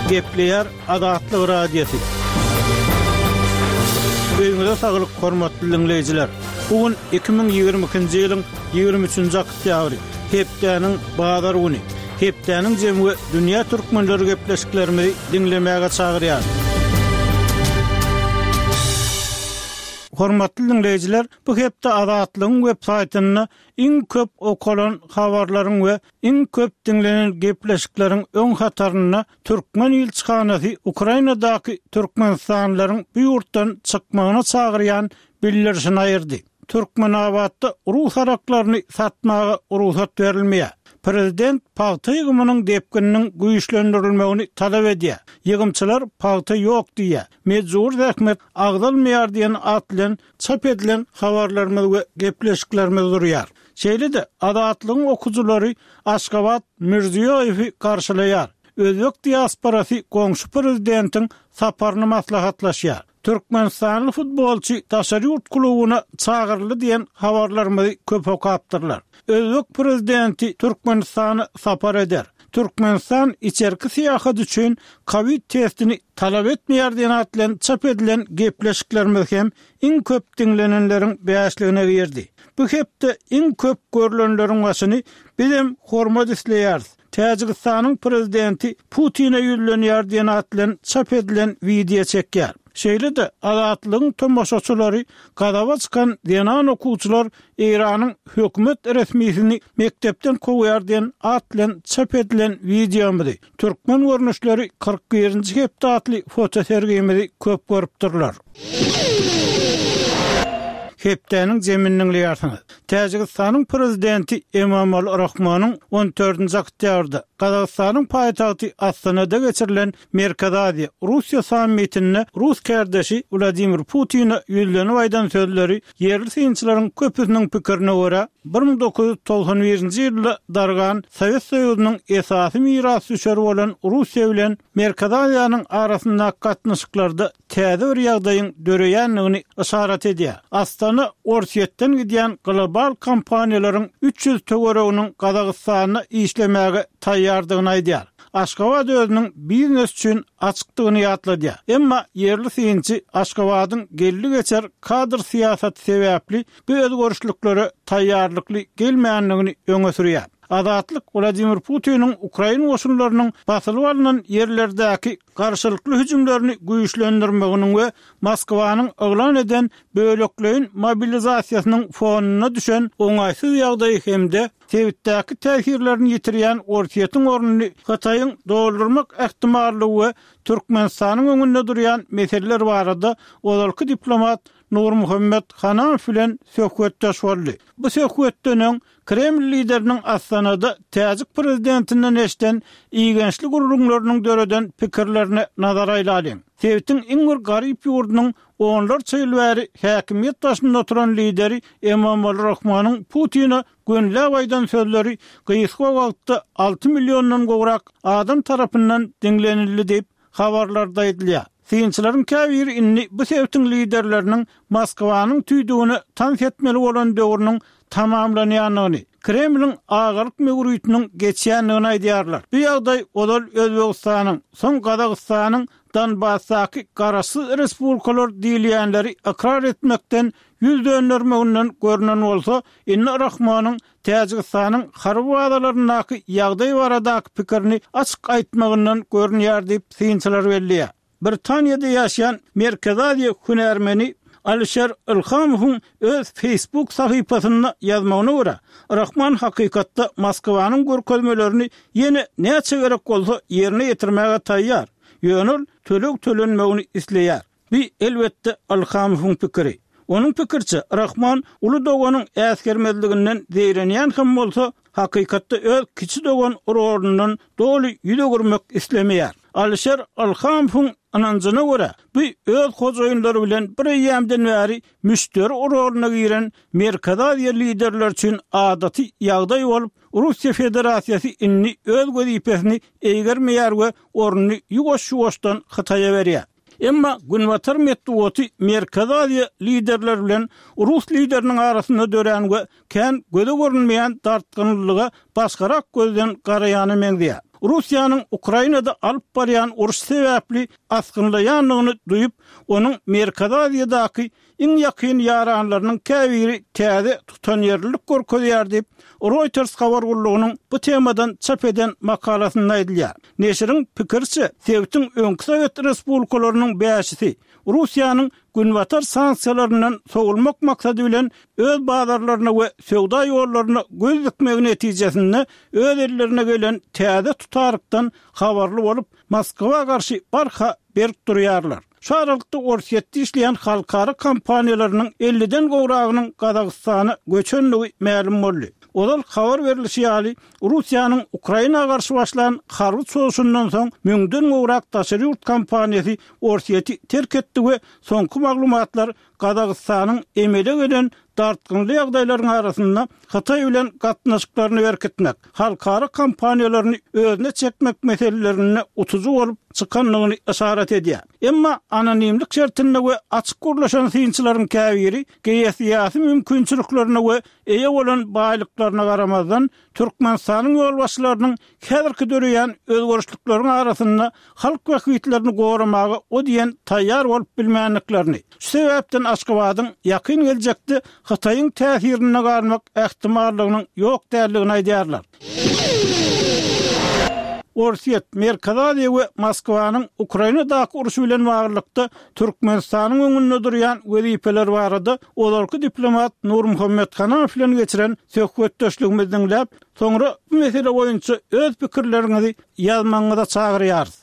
Gepleýär Azatlyk Radiosy. Öýüňize saglyk, hormatly diňleýjiler! Bu gün 2022-nji ýylyň 23-nji oktýabry, hepdäniň bazar güni. Hepdäniň jemi we dünýä türkmenleri gepleşiklerimizi diňlemäge çagyrýar. Hormatly diňleýjiler, bu hepde Azatlygyň web saýtynda iň köp okalan habarlaryň we iň köp diňlenen gepleşikleriň öň hatarynda türkmen ilçihanasy Ukrainadaky türkmenistanlylaryň bu ýurtdan çykmagyna çagyrýan bildirişini aýyrdy. Türkmenabatda rus araklaryny satmaga rugsat berilmeýär. Prezident pagta ýygymynyň depgininiň güýçlendirilmegini talap edýär. Ýygymçylar pagta ýok diýýär. Mejbury zähmet agzalmaýar diýen at bilen çap edilen habarlarymyz we gepleşiklerimiz durýar. Şeýle-de, Azatlygyň okyjylary Aşgabat Mirziýoýewi garşylaýar. Özbek diasporasy goňşy prezidentiň saparyny maslahatlaşýar. Türkmenistanly futbolçy daşary ýurt klubuna çagyryldy diýen habarlarymyzy köp okapdyrlar. Özbek prezidenti Türkmenistana sapar eder. Türkmenistan içerki syýahat üçin kowid testini talap etmeýär diýen at bilen çap edilen gepleşiklerimiz hem iň köp diňlenenleriň bäşligine girdi. Bu hepde iň köp görlenleriň başyny Bizem hormat isleýäris, Täjigistanyň prezidenti Putine ýüzlenýär diýen at bilen çap edilen wideo çekýär. Şeýle-de Azatlygyň tomaşaçylary gazaba çykan zenan okuwçylar Eýranyň hökümet resmisini mekdepden kowýar diýen at bilen çap edilen wideomyzy, Türkmen görnüşleri 41-nji hepde atly fotosergimizi köp görüpdirler. Hepdäniň jemini diňleýärsiňiz. Täjigistanyň prezidenti Emomali Rahmonyň on dördünji oktýabrda Gazagystanyň paýtagty Astanada geçirilen Merkezi Aziýa, Russiýa sammitinde rus kärdeşi Wladimir Putine ýüzlenip aýdan sözleri ýerli synçylaryň köpüsiniň pikirine görä, 1991-nji ýylda dargan Sowet Soýuzynyň esasy mirasdüşeri bolan Russiýa bilen Merkezi Aziýanyň arasyndaky gatnaşyklarda täze bir ýagdaýyň döreýändigini yşarat edýär. Astana Orsýetden gidýän global kompaniýalaryň 300 töwereginiň Gazagystanda işlemäge taýýardygyny aýdýar. Aşgabat özüniň biznes üçin açykdygyny ýatladýar. Emma ýerli synçy Aşgabadyň geldi-geçer kadr syýasaty sebäpli bu özgerişliklere taýýarlykly gelmändigini öňe sürýär. Azatlyk Wladimir Putiniň ukrain goşunlarynyň basylyp alnan ýerlerdäki garşylykly hüjümlerini güýçlendirmeginiň we Moskwanyň yglan eden bölekleýin mobilizasiýasynyň fonunda düşen oňaýsyz ýagdaýy hem-de sebitdäki täsirlerini ýitirýän Orsýetiň ornuny Hytaýyň doldurmak ähtimallygy we Türkmenistanyň öňünde durýan meseleler barada ozalky diplomat Nurmuhammet Hanamow bilen söhbetdeş boldy. Bu söhbetden öň Kreml lideriniň Astanada täjik prezidentinden eşiden igençli gürrüňleriniň döreden pikirlerine nazar aýlalyň. Sebitiň iň bir garyp ýurdunyň onlarça ýyl bäri häkimiýet başynda oturan lideri Emomali Rahmonyň Putine gönüläp aýdan sözleri gysga wagtda alty milliondan gowrak adam tarapyndan diňlenildi diýip, habarlarda aýdylýar. Synçylaryň käbiri indi bu sebitiň liderleriniň Moskwanyň tüýdügine tans etmeli bolan döwrüniň tamamlanýandygyny, Kremliň agalyk möwritiniň geçýändigini aýdýarlar. Bu ýagdaý ozal Özbegistanyň, soň Gazagystanyň Donbasdaky garaşsyz respublikalar diýilýänleri ykrar etmekden ýüz döndermeginden görnen bolsa, indi Rahmonyň Täjigistanyň harby bazalaryndaky ýagdaý baradaky pikirini açyk aýtmagyndan görünýär diýip, synçylar belleýär. Britaniýada ýaşaýan Merkezi Aziýa hünärmeni Alişer Ilhamowyň öz Facebook sahypasynda ýazmagyna görä, Rahman hakykatda Moskwanyň görkezmelerini ýene näçe gerek bolsa ýerine ýetirmäge taýýar, ýöne ol töleg tölenmegini isleýär. Bu, elbetde, Ilhamowyň pikiri. Onuň pikiriçe, Rahman uly doganyň äsgermezliginden zeýrenýän hem bolsa, hakykatda öz kiçi dogan rolundan doly ýüz öwürmek islemeýär. Alişer Ilhamowyň ynanjyna görä, bu öz hojaýynlary bilen bir eýýämden bäri müşderi roluna giren Merkezi Aziýa liderleri üçin adaty ýagdaý bolup, Russiýa Federasiýasy indi öz wezipesini eýgermeýär we ornuny ýuwaş-ýuwaşdan Hytaýa berýär. Emma günbatar metbugaty Merkezi Aziýa liderleri bilen rus lideriniň arasynda dörän we kän göze görünmeýän dartgynlylyga başgarak gözden garaýana meňzeýär. Russiýanyň Ukrainada alyp barýan urşy sebäpli asgynlaýandygyny duýup, onuň Merkezi Aziýadaky iň ýakyn ýaranlarynyň käbiri täze tutanýerlilik görkezýär diýip, Reuters habar gullugynyň bu temadan çap eden makalasynda aýdylýar. Neşiriň pikiriçe, sebitiň öňki sowet respublikalarynyň bäşisi Russiýanyň Günbatar sanksiýalaryndan sowulmak maksady bilen öz bazarlaryna we söwda ýollaryna göz dikmegi netijesinde öz ellerine gelen täze tutarykdan habarly bolup, Moskwa garşy barha berk durýarlar. Şu aralykda Orsýetde işleýän halkara kompaniýalarynyň elliden gowragynyň Gazagystana göçendigi mälim boldy. Ozal habar berlişi ýaly, Russiýanyň Ukraina garşy başlan harby çozuşyndan soň müňden gowrak daşary ýurt kompaniýasy Orsýeti terk etdi we soňky maglumatlar Gazagystanyň emele gelen dartgynly ýagdaýlaryň arasynda Hytaý bilen gatnaşyklaryny berkitmek, halkara kompaniýalaryny özüne çekmek meselelerinde utujy bolup çykandygyny yşarat edýär. Emma anonimlik şertinde we açyk gürleşen synçylaryň käbiri geosyýasy mümkinçiliklerine we eýe bolan baýlyklaryna garamazdan, Türkmenistanyň ýolbaşçylarynyň häzirki döreýän özgerişlikleriň arasynda halk bähbitlerini goramaga o diýen taýýar bolup bilmändiklerini, şu sebäpden Aşgabadyň ýakyn geljekde Hytaýyň täsirinde galmak ähtimallygynyň ýok däldigini aýdýarlar. Orsýet, Merkezi Aziýa we Moskwanyň Ukrainadaky urşy bilen baglylykda Türkmenistanyň öňünde durýan wezipeler barada ozalky diplomat Nurmuhammet Hanamow bilen geçiren söhbetdeşligimizi diňläp, soňra bu mesele boýunça öz pikirleriňizi ýazmagyňyza çagyrýarys.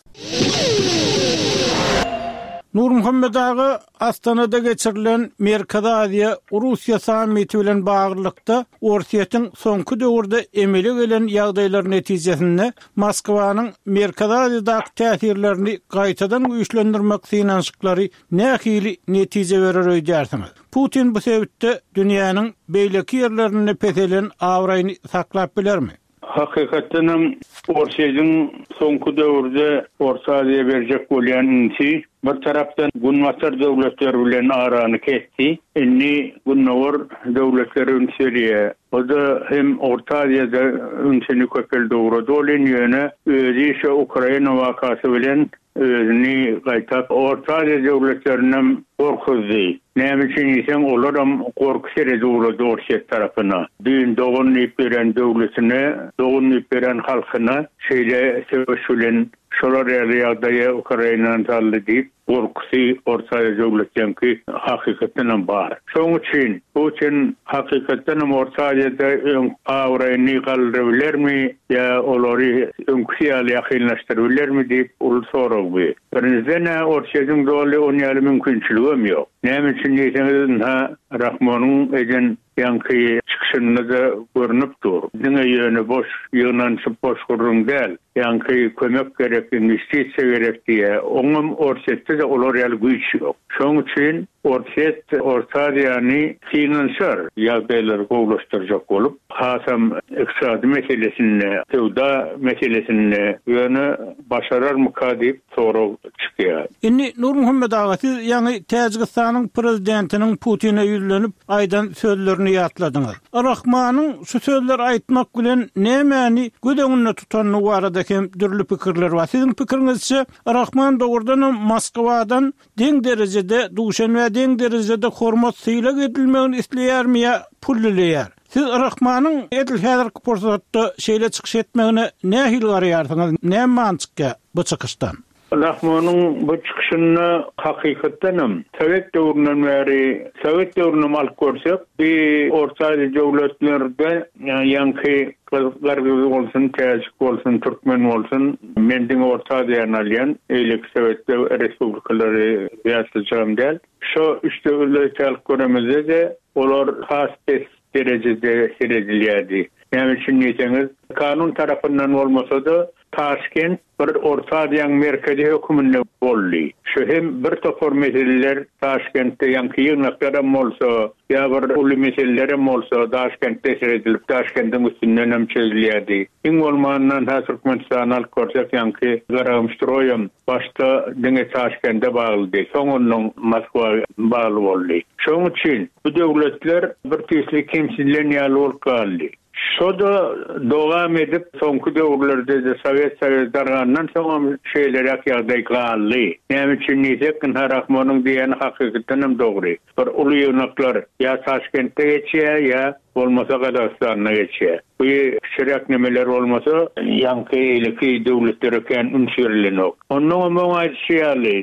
Nurmuhammet aga, Astanada geçirilen Merkezi Aziýa, Russiýa sammiti bilen baglylykda, Orsýetiň soňky döwürde emele gelen ýagdaýlar netijesinde Moskwanyň Merkezi Aziýadaky täsirlerini gaýtadan güýçlendirmek synanyşyklary nähili netije berer öýdýärsiňiz? Putin bu sebitde dünýäniň beýleki ýerlerinde peselen abraýyny saklap bilermi? Hakykatdan hem Orsýetiň soňky döwürde Orta Aziýa berjek bolýan ünsi bir tarapdan Günbatar döwletleri bilen arany kesdi. Indi Gündogar döwletlere üns berýär. O-da hem Orta Aziýada ünsüni köpeldi ugrady welin ýöne özi şo Ukraina wakasy bilen Özüni gaýtap Orta Aziýa döwletlerinem gorkuzdy. Näme üçin diýseň, olaram gorky seredi ugrady Orsýet tarapyna. Düýn dogan diýip beren döwletine, dogan diýip beren halkyna şeýle söweş bilen şolar ýaly ýagdaýa Ukrainany saldy diýip, gorkusy Orta Aziýa döwletleňki hakykatdanam bar. Şoň üçin Putin hakykatdanam Orta Aziýada öň abraýyny galdyrybilermi ýa olary öňküsi ýaly ýakynlaşdyrybilermi diýip uly sorag bu. Birinjiden-ä Orsýetiň doly on ýaly mümkinçiligem ýok. Näme üçin diýseňiz ynha Rahmonyň eden ýaňky çykyşynda-da görnüp dur. Diňe ýöne boş ýygnanyşyp boş gürrüň däl. Ýaňky kömek gerek, inwestisiýa gerek diýýär. Oňam Orsýetde-de olar ýaly güýç ýok. Şonuň üçin Orsýet Orta Aziýany synanyşar, ýagdaýlary gowulaşdyrjak bolup, hasam ykdysady meselesinde, söwda meselesinde, ýöne başararmyka diýip sorag çykýar. Indi Nurmuhammet aga siz ýaňy Täjigistanyň prezidentiniň Putine ýüzlenip aýdan sözlerini ýatladyňyz. Rahmanyň şu sözleri aýtmak bilen nämäni göz öňünde tutandygy barada hem dürli pikirler bar. Siziň pikiriňizçe Rahman dogrudanam Moskwadan deň derejede Duşenbä deň derejede hormat sylag edilmegini isleýärmi ýa pul dileýär? Siz Rahmanyň edil häzirki pursatda şeýle çykyş etmegine nähili garaýarsyňyz? Näme many çykýar bu çykyşdan? Rahmanyň bu çykyşynda hakykatdanam sowet döwründen bäri, sowet döwrünem alyp görsek, bi Orta Aziýa döwletlerde ýaňky Gyrgyz bolsun, täjik bolsun, türkmen bolsun, men diňe Orta Aziýany alýan, beýleki sowet respublikalary ýatlajagam däl. Şo üç döwleti alyp göremizde-de, olar has pes derejede seredilýärdi. Näme üçin diýseňiz, kanun tarapyndan bolmasa-da, Taşkent bir Orta Aziýaň merkezi höküminde boldy. Şu hem bir topar meseleler Daşkentde ýaňky ýygnaklaram bolsa, ýa bir uly meselelerem bolsa Daşkentde seredilip, Daşkendiň üstündenem çözülýärdi. Iň bolmandan hä Türkmenistany alyp görsek ýaňky Garagumstroýam başda diňe Taşkende baglydy, soň ondan Moskwa bagly boldy. Şoň üçin bu döwletler bir tüýsli kemsidilen ýaly bolup galdy. Şo-da dowam edip, soňky döwürlerde-de Sowet Soýuzy dargandan soňam şeýleräk ýagdaý galdy. Näme üçin diýsek, ynha Rahmonyň diýýäni hakykatdanam dogry. Bir uly ýygnaklar ýa Taşkentde geçýär, ýa bolmasa Gazagystanda geçýär. Bu kiçiräk nemeler bolmasa, ýaňky eýleki döwletlere kän üns berilenok. Onnoňam oň aýdyşy ýaly,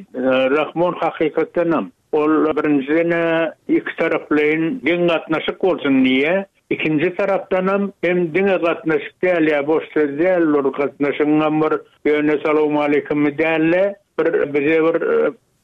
Rahmon hakykatdanam Ol birinjiden-ä ikitaraplaýyn deň gatnaşyk bolsun diýýär. Ikinji tarapdanam hem diňe gatnaşyk däl ýa boş söz däl bir gatnaşygyňam bir ýöne salowmaleýkimi däl-de bir bize bir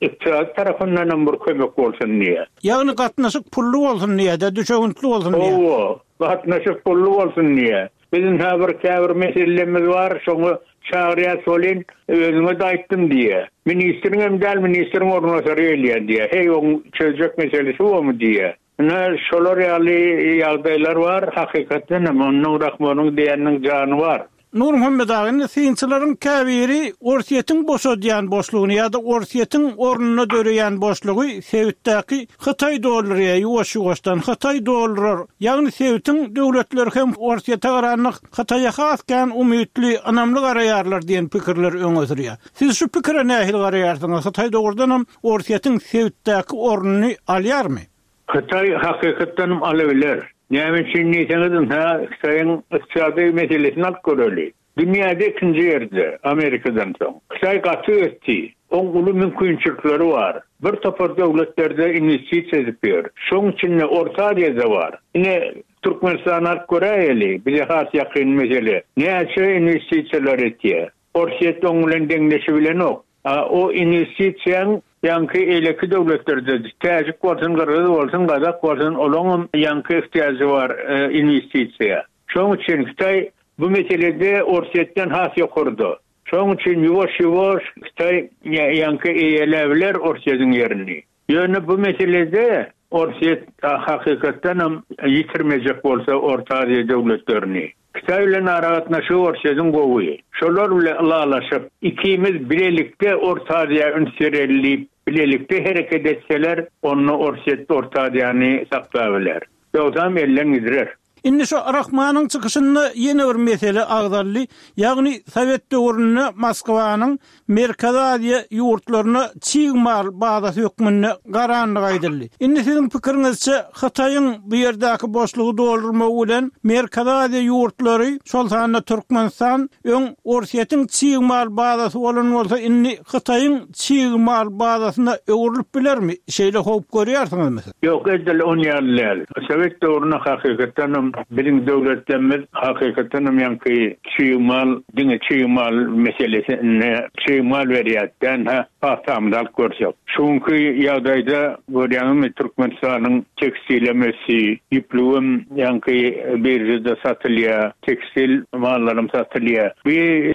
ykdysady tarapyndanam bir kömek bolsun diýýär. Ýagny gatnaşyk pully bolsun diýýär-de, düşewüntli bolsun diýýär. Hawa, gatnaşyk pully bolsun diýýär. Biziň hä bir käbir meselemiz bar, şoňa çagyrýas welin, özüňe-de aýtdym diýýär. Ministriňem däl, ministriň orunbasary gelýär diýýär. Heý, oň çözjek meselesi bomy diýýär. Ine, şolar ýaly ýagdaýlar bar, hakykatdan hem, onuň Rahmonyň diýeniniň jany bar. Nurmuhammet aga, indi synçylaryň käbiri Orsýetiň boşadýan boşlugyny ýa-da Orsýetiň ornunda döreýän boşlugy sebitdäki Hytaý doldurýar, ýuwaş-ýuwaşdan Hytaý doldurar. Ýagny sebitiň döwletleri hem Orsýete garanda Hytaýa has kän umytly, ynamly garaýarlar diýen pikirleri öňe sürýär. Siz şu pikire nähili garaýarsyňyz? Hytaý dogrudanam Orsýetiň sebitdäki ornuny alýarmy? Hytaý hakykatdanam alybiler. Näme üçin diýseňiz, ynha, Hytaýyň ykdysady meselesini alyp göreli. Dünýäde ikinji ýerde, Amerikadan soň. Hytaý gaty ösdi. Oň uly mümkinçilikleri bar. Bir topar döwletlerde inwestisiýa edip ýör. Şoň içinde Orta Aziýada bar. Ine, Türkmenistany alyp göräýeli, bize has ýakyn mesele. Näçe inwestisiýalar etýär. Orsýet oň bilen deňleşibilenok. A o inwestisiýaň ýaňky eýleki döwletlerde, täjik bolsun, gyrgyz bolsun, gazak bolsun, olaňam ýaňky ihtiýajy bar inwestisiýa. Şoň üçin Hytaý bu meselede Orsýetden has ýokarda. Şoň üçin ýuwaş-ýuwaş Hytaý ýaňky eýeläbiler Orsýetiň ýerini. Ýöne bu meselede Orsýet hakykatdanam ýitirmejek bolsa Orta Aziýa döwletlerini. Hytaý bilen aragatnaşygy Orsýetiň gowy. Şolar bilen ylalaşyp, ikimiz bilelikde Orta Aziýa üns bereli diýip, bilelikde hereket etseler, onda Orsýet Orta Aziýany saklabiler. Ýogsam elden gidirer. Indi şu Rahmanyň çykyşynda ýene bir mesele agzaldy, ýagny sowet döwründe Moskwanyň Merkezi Aziýa ýurtlaryna çig mal bazasy hökmünde garandygy aýdyldy. Indi siziň pikiriňizçe, Hytaýyň bu ýerdäki boşlugy doldurmagy bilen Merkezi Aziýa ýurtlary, şol sanda Türkmenistan öň Orsýetiň çig mal bazasy bolan bolsa, indi Hytaýyň çig mal bazasyna öwrülip bilermi? Şeýle howp görýärsiňizmi siz? Ýok, edil on ýaly däl. Sowet döwründe hakykatdanam biziň döwletlerimiz hakykatdanam ýaňky çig mal, diňe çig mal meselesinde çig mal berýärdi-dä, ynha, pagtamyzy alyp görsek. Şu günki ýagdaýda görýäňizmi, Türkmenistanyň tekstilem ösdi, ýüplügem ýaňky biržada satylýar, tekstil mallaram satylýar. Bu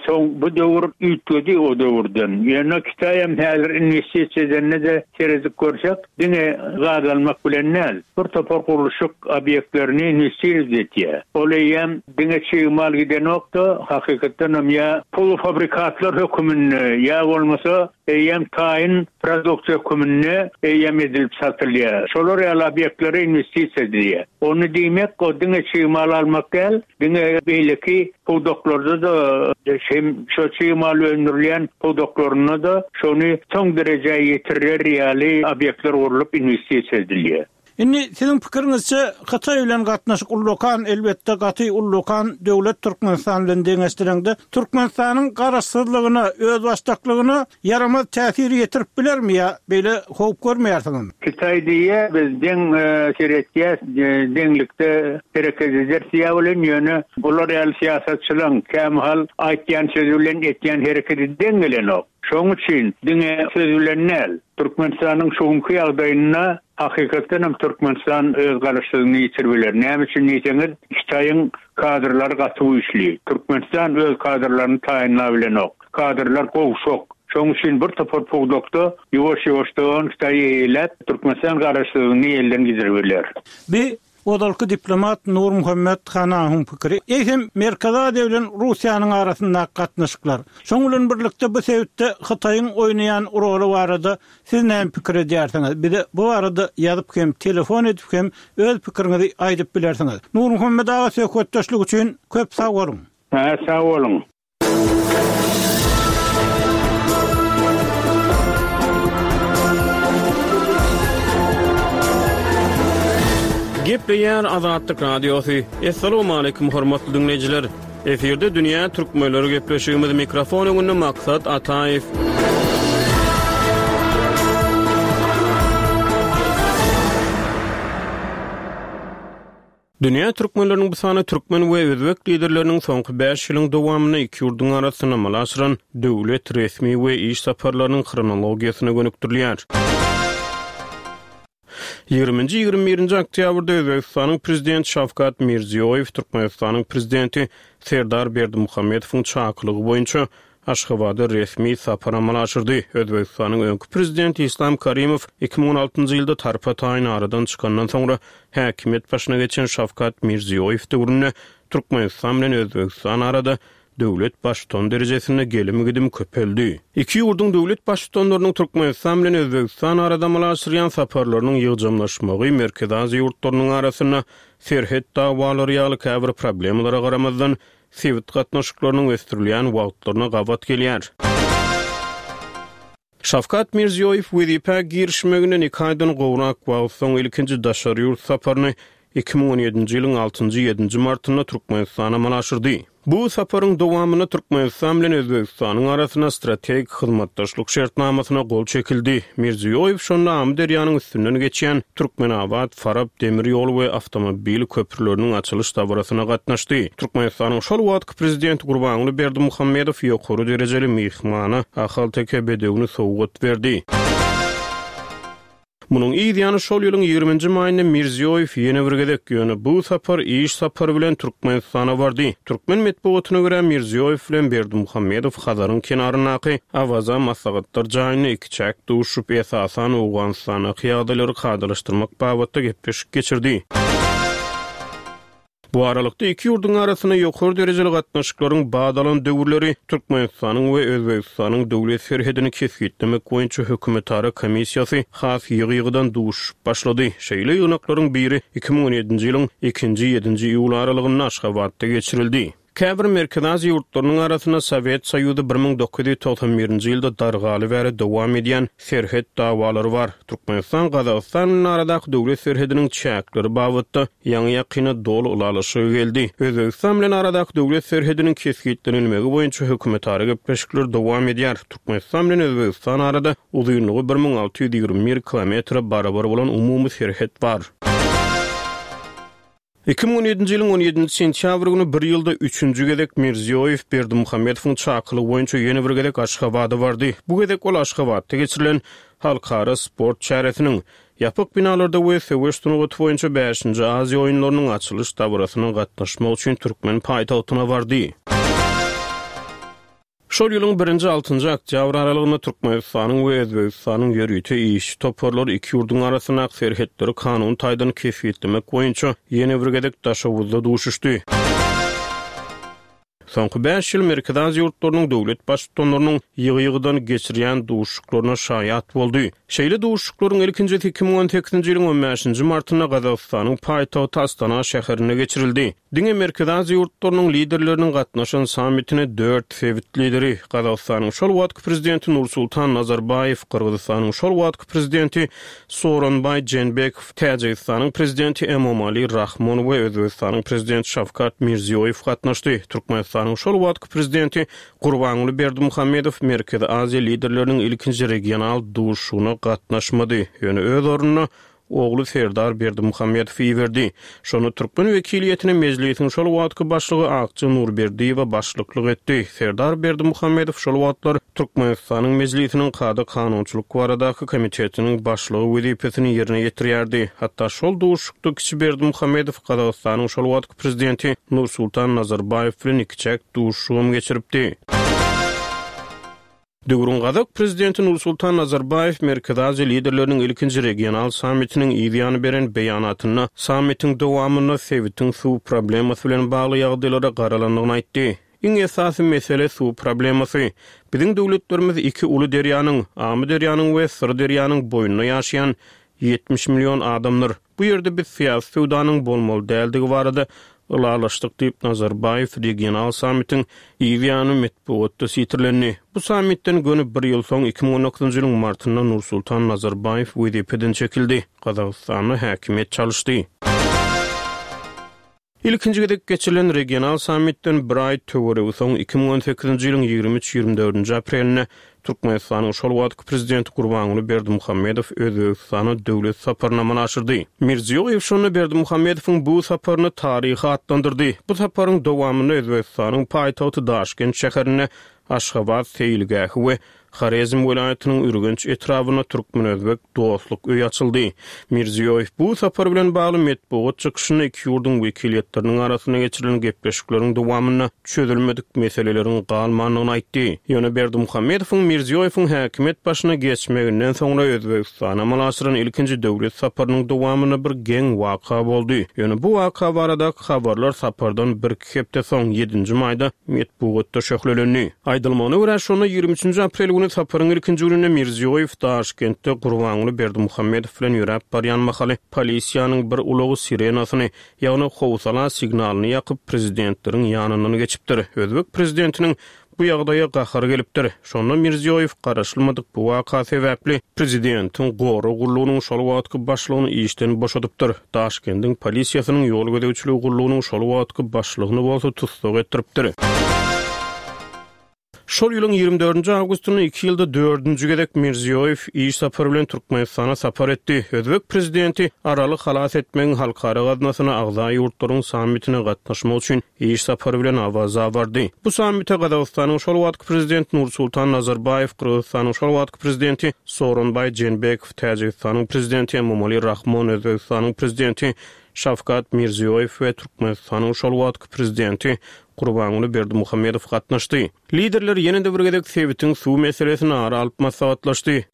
soň bu döwür üýtgedi o döwürden. Ýöne Kitaýam häzir inwestisiýa edende-de seredip görsek, Diňe gaz almak bilen däl, bir topar gurluşyk obýektlerini inwestirowat etýär. Ol eýýäm diňe çig mal gidenok-da, hakykatdanam ýa polufabrikatlar höküminde, ýa bolmasa eýýäm taýyn produksiýa höküminde eýýäm edilip satylýar. Şolar ýaly obýektlere inwestisiýa edilýär. Ony diýmek, o diňe çig mal almak däl, Diňe beýleki pudaklarda-da hem şo çig mal öndürilýän pudaklarynda-da şony soň derejä ýetirer ýaly obýektler gurlup inwestisiýa edilýär. Indi siziň pikiriňizçe Hytaý bilen gatnaşyk ullakan elbetde gaty ullakan döwlet Türkmenistan bilen deňeşdireňde Türkmenistanyň garaşsyzlygyna özbaşdaklygyna ýaramaz täsir ýetirip bilermi ýa beýle howp görmeýärsiňizmi? Hytaý diýýär, biz deň seretýäs, deňlikde hereket ederis diýýär welin, ýöne bular ýaly syýasatçylaň kämahal aýtýan sözi bilen etýän hereketi deň gelenok. Şonuň üçin diňe söz bilen däl, Türkmenistanyň şu günki ýagdaýynda hakykatdan hem Türkmenistan öz garaşsyzlygyny ýitirip biler. Näme üçin diýseňiz, Hytaýyň kadrlary gaty güýçli. Türkmenistan öz kadrlaryny taýynlabilenok. Kadrlar gowşak. Şonuň üçin bir topar pudakda ýuwaş-ýuwaşdan Hytaý eýeläp, Türkmenistan garaşsyzlygyny elden gidirip biler. Bi. Ozalky diplomat Nurmuhammet Hanahyň pikiri. Eýsem, Merkezi Aziýa bilen Russiýanyň arasyndaky gatnaşyklar, şoň bilen birlikde bu sebitde Hytaýyň oýnaýan roly barada siz näme pikir edýärsiňiz? Bize bu barada ýazyp hem, telefon edip hem öz pikiriňizi aýdyp bilersiňiz. Nurmuhammet aga söhbetdeşlik üçin köp sag boluň! Hä, sag boluň! Gepleýär Azatlyk Radiosy. Assalamualaikum hormatly diňleýjiler. Efirde dünýä türkmenleri gepleşigimiz mikrofon öňünde Maksat Ataýew. Dünýä türkmenleriniň bu sany türkmen we özbek liderleriniň soňky bäş ýylyň dowamynda iki ýurduň arasynda amala aşyran döwlet, resmi we iş saparlarynyň hronologiýasyna gönükdirilýär. Ýigriminji, 21-nji oktýabrda Özbegistanyň Prezidenti Şawkat Mirziýoýew Türkmenistanyň Prezidenti Serdar Berdimuhamedowyň çakylygy boýunça Aşgabada resmi sapar amala aşyrdy. Özbegistanyň öňki prezidenti Islam Karimow 2016-njy ýylda tarpa-taýyn aradan çykandan soňra häkimiýet başyna geçen Şawkat Mirziýoýew döwründe Türkmenistan bilen Özbegistan arada döwlet baştutany derejesinde gelim-gidim köpeldi. Iki ýurduň döwlet baştutanlarynyň Türkmenistan bilen Özbegistan arada amala aşyrýan saparlarynyň ýygjamlaşmagy Merkezi Aziýa ýurtlarynyň arasynda serhet dawalary ýaly käbir problemalara garamazdan, sebit gatnaşyklarynyň ösdürilýän wagtlaryna gabat gelýär. Şawkat Mirziýoýew wezipä girişmeginden iki aýdan gowrak wagt soň ilkinji daşary ýurt saparyny 2017-nji ýylyň altynjy-ýedinji martynda Türkmenistana amala aşyrdy. Bu saparyň dowamynda Türkmenistan bilen Özbegistanyň arasynda strategik hyzmatdaşlyk şertnamasyna gol çekildi. Mirziýoýew şonda Amyderýanyň üstünden geçýän Türkmenabat, Farap demir ýol we awtomobil köprüleriniň açylyş dabarasyna gatnaşdy. Türkmenistanyň şol wagtky Prezidenti Gurbanguly Berdimuhamedow ýokary derejeli myhmana ahalteke bedewini sowgat berdi. Munuň yz ýany şol ýylyň ýigriminji maýynda Mirziýoýew ýene bir gezek, ýöne bu sapar iş sapary bilen Türkmenistana bardy. Türkmen metbugatyna görä, Mirziýoýew bilen Berdimuhamedow Hazaryň kenaryndaky Awaza maslahatlar jaýynda ikiçäk duşup, esasan Owganystandaky ýagdaýlary kadalaşdyrmak babatda gepleşik geçirdi. Bu aralykda, iki ýurduň arasynda ýokary derejeli gatnaşyklaryň bat alan döwürleri Türkmenistanyň we Özbegistanyň döwlet serhedini kesgitlemek boýunça hökümetara komissiýasy has ýygy-ýygydan duşuşyp başlady. Şeýle ýygnaklaryň biri 2017-nji ýylyň ikinji-ýedinji iýul aralygynda Aşgabatda geçirildi. Käbir Merkezi Aziýa ýurtlarynyň arasynda Sowet Soýuzy 1991-nji ýylda dargaly bäri dowam edýän serhet dawalary bar. Türkmenistan Gazagystan bilen aradaky döwlet serhediniň çäkleri babatda ýaňy-ýakynda doly ylalaşyga geldi. Özbegistan bilen aradaky döwlet serhediniň kesgitlenilmegi boýunça hökümetara gepleşikler dowam edýär. Türkmenistan bilen Özbegistan arada uzynlygy 1621 kilometre barabar bolan umumy serhet bar. 2017-nji ýylyň on ýedinji sentýabr güni bir ýylda üçünji gezek Mirziýoýew Berdimuhamedowyň çakylygy boýunça ýene bir gezek Aşgabada bardy. Bu gezek ol Aşgabatda geçirilen halkara sport çäresiniň, ýapyk binalarda we söweş sungaty boýunça bäşinji Aziýa oýunlarynyň açylyş dabarasyna gatnaşmak üçin türkmen paýtagtyna bardy. Şol ýylyň birinji, altynjy oktýabr aralygynda Türkmenistanyň we Özbegistanyň ýörite işçi toparlary iki ýurduň arasyndaky serhetleri kanuny taýdan kesgitlemek boýunça ýene bir gezek Daşoguzda duşuşdy. Soňky bäş ýyl Merkezi Aziýa ýurtlarynyň döwlet Baştutanlarynyň ýygy-ýygydan geçirýän duşuşyklaryna şaýat boldy. Şeýle duşuşyklaryň ilkinjisi 2018-nji ýylyň on bäşinji martynda Gazagystanyň paýtagty Astana şäherinde geçirildi. Diňe Merkezi Aziýa ýurtlarynyň liderleriniň gatnaşan sammitine dört sebit lideri, Gazagystanyň şol wagtky prezidenti Nursultan Nazarbaýew, Gyrgyzystanyň şol wagtky prezidenti Sooronbaý Jeenbekow, Täjigistanyň prezidenti Emomali Rahmon we Özbegistanyň prezidenti Şawkat Mirziýoýew gatnaşdy. Türkmenistanyň şol wagtky prezidenti Gurbanguly Berdimuhamedow Merkezi Aziýa liderleriniň ilkinji regional duşuşygyna gatnaşmady, ýöne öz ornuna ogly Serdar Berdimuhamedowy iberdi. Şonda türkmen wekiliýetine Mejlisiň şol wagtky başlygy Akja Nurberdiýewa başlyklyk etdi. Serdar Berdimuhamedow şol wagtlar Türkmenistanyň Mejlisiniň Kada-kanunçylyk baradaky komitetiniň başlygy wezipesini ýerine ýetirýärdi. Hatda şol duşuşykda kiçi Berdimuhamedow Gazagystanyň şol wagtky prezidenti Nursultan Nazarbaýew bilen ikiçäk duşuşygam geçiripdi. Döwrüň gazak prezidenti Nursultan Nazarbaýew Merkezi Aziýa liderleriniň ilkinji regional sammitiniň yz ýany beren beýanatynda sammitiň dowamynda sebitiň suw problemasy bilen bagly ýagdaýlara garalandygyny aýtdy. Iň esasy mesele suw problemasy. Biziň döwletlerimiz iki uly derýanyň, Amyderýanyň we Syrderýanyň boýunda ýaşaýan 70 million adamdyr. Bu ýerde biz syýasy söwdanyň bolmaly däldigi barada ylalaşdyk diýip, Nazarbaýew regional sammitiň yz ýany metbugatda sitirlendi. Bu sammitden göni bir ýyl soň, 2019-njy ýylyň martynda Nursultan Nazarbaýew wezipeden çekildi, Gazagystanda häkimiýet çalyşdy. Ilkinji gezek geçirilen regional sammitden bir aý töweregi soň, 2018-nji ýylyň 23-24 dördünji aprelinde Türkmenistanyň şol wagtky prezidenti Gurbanguly Berdimuhamedow Özbegistana döwlet saparyny amala aşyrdy. Mirziýoýew şonda Berdimuhamedowyň bu saparyny taryhy atlandyrdy. Bu saparyň dowamynda Özbegistanyň paýtagty Daşkent şäherinde Aşgabat seýilgähi we Horezm welaýatynyň Ürgenç etrabynda türkmen-özbek dostluk öýi açyldy. Mirziýoýew bu sapar bilen bagly metbugat çykyşynda iki ýurduň wekiliýetleriniň arasynda geçirilen gepleşikleriň dowamynda çözülmedik meseleleriň galmandygyny aýtdy. Ýöne Berdimuhamedowyň Mirziýoýewiň häkimiýet başyna geçmeginden soňra Özbegistana amala aşyran ilkinji döwlet saparynyň dowamynda bir geň waka boldy. Ýöne bu waka baradaky habarlar sapardan birki hepde soň, ýedinji maýda metbugatda şöhlelendi. Aýdylmagyna görä, şonda 23 nji aprel güni saparyň ilkinji gününde Mirziýoýew Daşkentde Gurbanguly Berdimuhamedow bilen ýöräp barýan mahaly polisiýanyň bir ulagy sirenasyny, ýagny howsala signalyny ýakyp, prezidentleriň ýanyndan geçipdir. Özbek prezidentiniň bu ýagdaýa gahary gelipdir. Şonda Mirziýoýew garaşylmadyk bu waka sebäpli prezidentiň gorag gullugynyň şol wagtky başlygyny işden boşadypdyr. Daşkendiň polisiýasynyň ýol gözegçiligi gullugynyň şol wagtky başlygyny bolsa tussag etdiripdir. Şol ýylyň 24 nji awgustynda iki ýylda dördünji gezek Mirziýoýew iş sapary bilen Türkmenistana sapar etdi. Özbek prezidenti Araly halas etmegiň halkara gaznasyna agza ýurtlaryň sammitine gatnaşmak üçin iş sapary bilen Awaza bardy. Bu sammite Gazagystanyň şol wagtky prezidenti Nursultan Nazarbaýew, Gyrgyzystanyň şol wagtky prezidenti Sooronbaý Jeenbekow, Täjigistanyň prezidenti Emomali Rahmon, Özbegistanyň prezidenti Şawkat Mirziýoýew we Türkmenistanyň şol wagtky prezidenti Gurbanguly Berdimuhamedow gatnaşdy. Liderler ýene-de bir gezek sebitiň suw meselesini ara alyp maslahatlaşdy.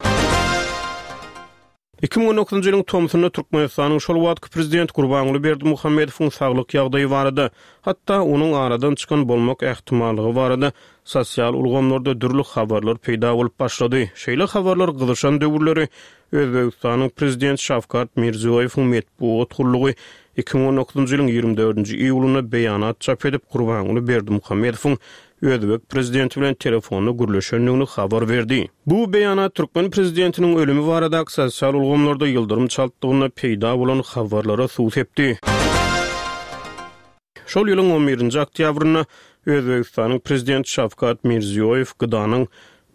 2019-njy ýylyň tomsunda Türkmenistanyň şol wagtky prezidenti Gurbanguly Berdimuhamedowyň saglyk ýagdaýy barada, hatda onuň aradan çykan bolmak ähtimallygy barada sosial ulgamlarda dürli habarlar peýda bolup başlady. Şeýle habarlar gyzyşan döwürleri Özbegistanyň prezidenti Şawkat Mirziýoýewiň metbugat gullugy 2019-njy ýylyň 24-nji iýulynda beýanat çap edip, Gurbanguly Berdimuhamedowyň özbek prezidenti bilen telefonda gürleşendigini habar berdi. Bu beýanat türkmen prezidentiniň ölümi baradaky sosial ulgamlarda ýyldyrym çaltlygynda peýda bolan habarlara suw sepdi. Şol ýylyň on birinji oktýabrynda Özbegistanyň Prezidenti Şawkat Mirziýoýew GDA-nyň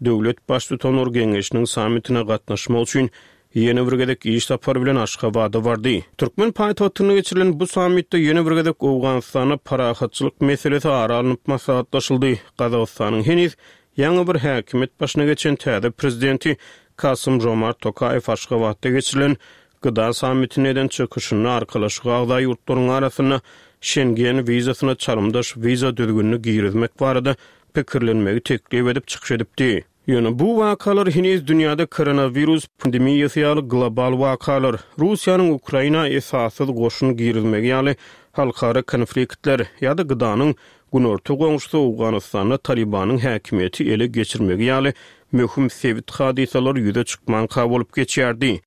Döwlet Baştutanlar Geňeşiniň sammitine gatnaşmak üçin ýene bir gezek iş sapary bilen Aşgabada bardy. Türkmen paýtagtynda geçirilen bu sammitde ýene bir gezek Owganystanda parahatçylyk meselesi ara alnyp maslahatlaşyldy. Gazagystanyň heniz ýaňy bir häkimiýet başyna geçen täze prezidenti Kasym-Žomart Tokaýew Aşgabatda geçirilen GDA sammitinde eden çykyşynda Arkalaşyga agza ýurtlaryň arasynda Şengen wizasyna çalymdaş wiza düzgünini girizmek barada pikirlenmegi teklip edip çykyş edipdi. Ýöne bu wakalar heniz dünýäde koronawirus pandemiýasy ýaly global wakalar, Russiýanyň Ukraina esassyz goşun girizmegi ýaly halkara konfliktler ýa-da GDA-nyň günorta goňşusy Owganystanda Talibanyň häkimiýeti ele geçirmegi ýaly möhüm sebit hadysalary ýüze çykmanka bolup geçýärdi.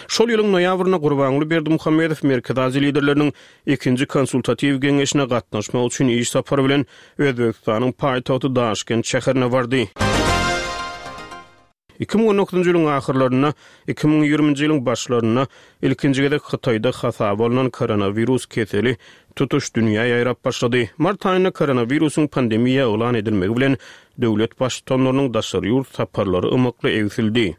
Şol ýylyň noýabrynda Gurbanguly Berdimuhamedow Merkezi Aziýa liderleriniň ikinji konsultatiw geňeşine gatnaşmak üçin iş sapary bilen Özbegistanyň paýtagty Daşkent şäherine bardy. 2019-njy ýylyň ahyrlarynda, 2020-nji ýylyň başlarynda ilkinji gezek Hytaýda hasaba alnan koronawirus keseli tutuş dünýä ýaýrap başlady. Mart aýynda koronawirusyň pandemiýa yglan edilmegi bilen döwlet Baştutanlarynyň daşary ýurt saparlary ymykly egsildi.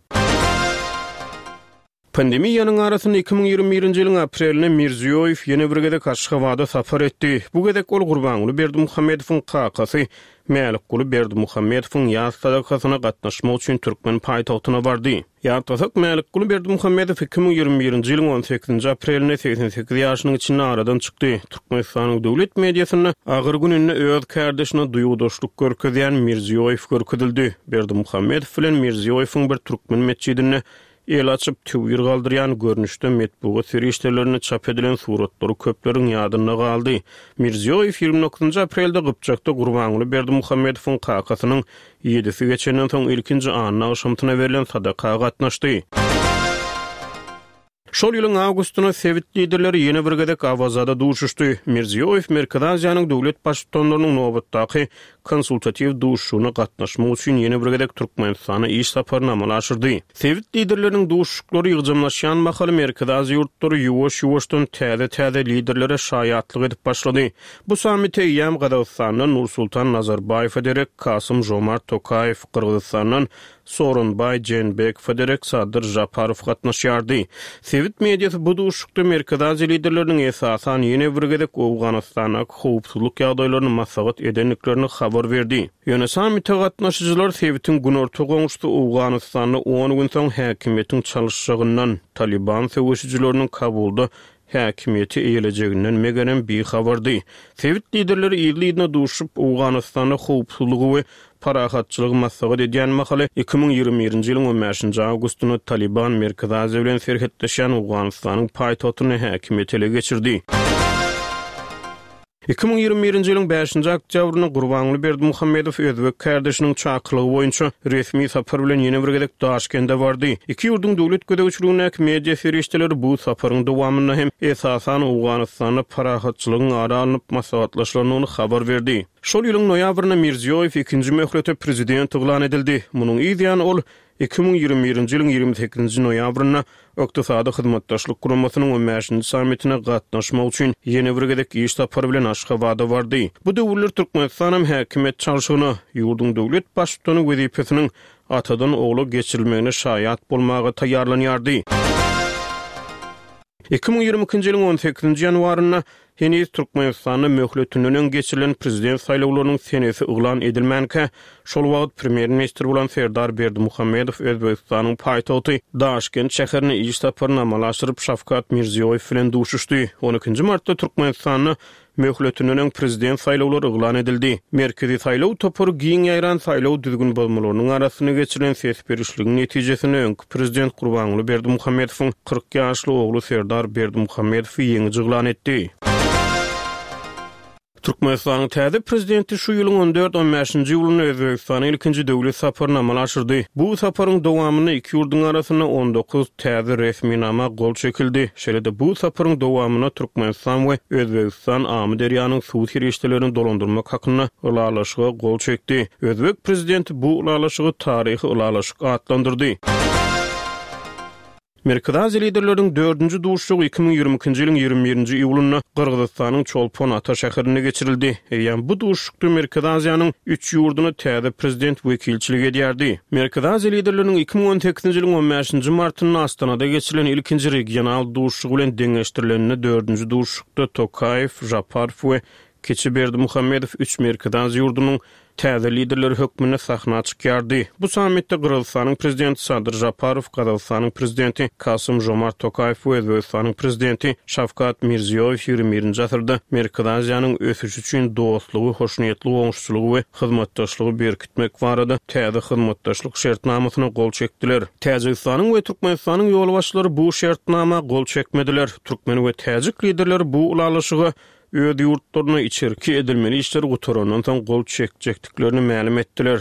Pandemiýanyň arasynda 2021-nji ýylyň aprelinde Mirziýoýew ýene bir gezek Aşgabada sapar etdi. Bu gezek ol Gurbanguly Berdimuhamedowyň kakasy Mälikguly Berdimuhamedowyň ýas sadakasyna gatnaşmak üçin türkmen paýtagtyna bardy. Ýatlasak, Mälikguly Berdimuhamedow 2021-nji ýylyň on sekizinji aprelinde 88 ýaşynyň içinde aradan çykdy. Türkmenistanyň döwlet mediasynda agyr gününde öz kärdeşine duýgudaşlyk görkezýän Mirziýoýew görkezildi. Berdimuhamedow bilen Mirziýoýewiň bir türkmen metjidinde El açyp, töwir galdyrýan görnüşde metbugat serişdelerinde çap edilen suratlary köpleriň ýadynda galdy. Mirziýoýew 29-njy aprelde Gypjakda Gurbanguly Berdimuhamedowyň kakasynyň ýedisi geçenden soň ilkinji anna agşamsyna berlen sadaka gatnaşdy. Şol ýylyň awgustynda sebit liderleri ýene bir gezek Awazada duşuşdy. Mirziýoýew Merkezi Aziýanyň döwlet Baştutanlarynyň nobatdaky konsultatiw duşuşygyna gatnaşmak üçin ýene bir gezek Türkmenistana iş saparyny amala aşyrdy. Sebit liderleriniň duşuşyklary ýygjamlaşýan mahaly Merkezi Aziýa ýurtlary ýuwaş-ýuwaşdan täze-täze liderlere şaýatlyk edip başlady. Bu sammite eýýäm Gazagystandan Nursultan Nazarbaýewe derek Kasym-Žomart Tokaýew, Gyrgyzystandan Sooronbaý Jeenbekowa derek Sadyr Žaparow gatnaşýardy. Sebit mediasy bu duşuşykda Merkezi Aziýa liderleriniň esasan ýene bir gezek Owganystandaky howpsuzlyk ýagdaýlaryny maslahat edendiklerini habar berdi. Ýöne sammite gatnaşyjylar sebitiň günorta goňşusy Owganystanda on gün soň häkimiýetiň çalyşjagyndan, Talyban söweşijileriniň Kabulda häkimiýeti eýelejeginden megerem bihabardy. Sebit liderleri yzly-yzyna duşup, Owganystanda howpsuzlygy we parahatçylygy maslahat edýän mahaly, 2021-nji ýylyň on bäşinji awgustynda Talyban Merkezi Aziýa bilen serhetleşýän Owganystanyň paýtagtynda häkimiýeti ele geçirdi. 2021-nji ýylyň bäşinji oktýabrynda Gurbanguly Berdimuhamedow özbek kärdeşiniň çakylygy boýunça resmi sapar bilen ýene bir gezek Daşkende bardy. Iki ýurduň döwlet gözegçiligindäki media serişdeleri bu saparyň dowamynda hem esasan Owganystanda parahatçylygyň ara alnyp maslahatlaşylandygyny habar berdi. Şol ýylyň noýabrynda Mirziýoýew ikinji möhlete prezident yglan edildi. Munuň yz ýany ol 2021-nji ýylyň 28-nji noýabrynda Ykdysady Hyzmatdaşlyk Guramasynyň on bäşinji sammitine gatnaşmak üçin ýene bir gezek iş sapary bilen Aşgabada bardy. Bu döwürler Türkmenistanam häkimiýet çalşygyna, ýurduň döwlet Baştutany wezipesiniň atadan ogla geçirilmegine şaýat bolmaga taýýarlanýardy. 2022-nji ýylyň on sekizinji ýanwarynda Heniz Türkmenistanda möhletinden öň geçirilen prezident saýlawlarynyň senesi yglan edilmänkä, şol wagt premýer-ministr bolan Serdar Berdimuhamedow Özbegistanyň paýtagty Daşkent şäherine iş saparyny amala aşyryp, Şawkat Mirziýoýew bilen duşuşdy. On ikinji martda Türkmenistanda möhletinden öň prezident saýlawlary yglan edildi. Merkezi saýlaw topary giň ýaýran saýlaw düzgün bozmalarynyň arasynda geçirilen ses berişligiň netijesinde öňki prezident Gurbanguly Berdimuhamedowyň 40 ýaşly ogly Serdar Berdimuhamedowy ýeňiji yglan etdi. Türkmenistanyň täze prezidenti şu ýylyň on dört, on bäşinji iýulynda Özbegistana ilkinji döwlet saparyny amala aşyrdy. Bu saparyň dowamynda iki ýurduň arasynda 19 täze resminama gol çekildi. Şeýle-de bu saparyň dowamynda Türkmenistan we Özbegistan Amyderýanyň suw serişdelerini dolandyrmak hakynda ylalaşyga gol çekdi. Özbek prezidenti bu ylalaşygy taryhy ylalaşyk atlandyrdy. Merkezi Aziýa liderleriniň dördünji duşuşygy 2022-nji ýylyň 21-nji iýulynda Gyrgyzystanyň Çolpon-Ata şäherinde geçirildi. Eýýäm bu duşuşykda Merkezi Aziýanyň üç ýurduna täze prezident wekilçilik edýärdi. Merkezi Aziýa liderleriniň 2018-nji ýylyň on bäşinji martynda Astanada geçirilen ilkinji regional duşuşygy bilen deňeşdirilende dördünji duşuşykda Tokaýew, Žaparow we Kiçi Berdimuhamedow üç Merkezi Aziýa ýurdunyň täze liderleri hökmünde sahna çykýardy. Bu sammitde Gyrgyzystanyň Prezidenti Sadyr Žaparow, Gazagystanyň Prezidenti Kasym-Žomart Tokaýew we Özbegistanyň Prezidenti Şawkat Mirziýoýew ýigrimi birinji asyrda Merkezi Aziýanyň ösüşi üçin dostlugy, hoşniýetli goňşuçylygy we hyzmatdaşlygy berkitmek barada täze hyzmatdaşlyk şertnamasyna gol çekdiler. Täjigistanyň we Türkmenistanyň ýolbaşçylary bu şertnama gol çekmediler. Türkmen we täjik liderleri bu ylalaşyga öz ýurtlarynda içerki edilmeli işler gutarandan soň gol çekjekdiklerini mälim etdiler.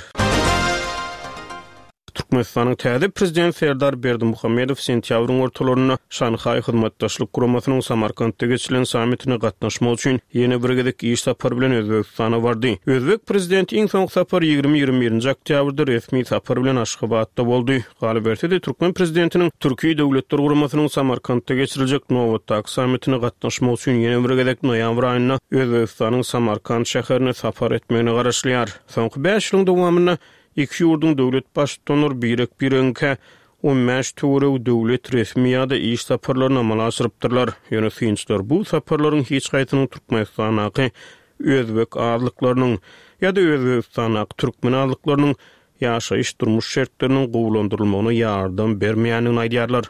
Türkmenistanyň täze Prezidenti Serdar Berdimuhamedow sentýabryň ortalarynda Şanhaý Hyzmatdaşlyk Guramasynyň Samarkantda geçirilen sammitine gatnaşmak üçin ýene bir gezek iş sapary bilen Özbegistana bardy. Özbek Prezidenti iň soňky sapar ýigrimi-ýigrimi birinji oktýabrda resmi sapar bilen Aşgabatda boldy. Galyberse-de, türkmen prezidentiniň Türki Döwletler Guramasynyň Samarkantda geçiriljek nobatdaky sammitine gatnaşmak üçin ýene bir gezek noýabr aýynda Özbegistanyň Samarkant şäherine sapar etmegine garaşylýar. Soňky bäş ýylyň dowamynda iki ýurduň döwlet Baştutanlary birek-biregiňkä. 15 töweregi döwlet resmi ýa-da iş saparlaryny amala aşyrypdyrlar. Ýöne synçylar bu saparlaryň hiç haýsynyň Türkmenistandaky özbek azlyklarynyň ýa-da Özbegistandaky türkmen azlyklarynyň ýaşaýyş-durmuş şertleriniň gowulandyrylmagyna ýardam bermeýändigini aýdýarlar.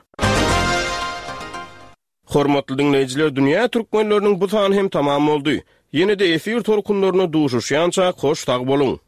Hormatly diňleýjiler, Dünýä türkmenleriniň bu sany hem tamam boldy. Ýene-de efir tolkunlarynda duşuşýançak hoş sag boluň!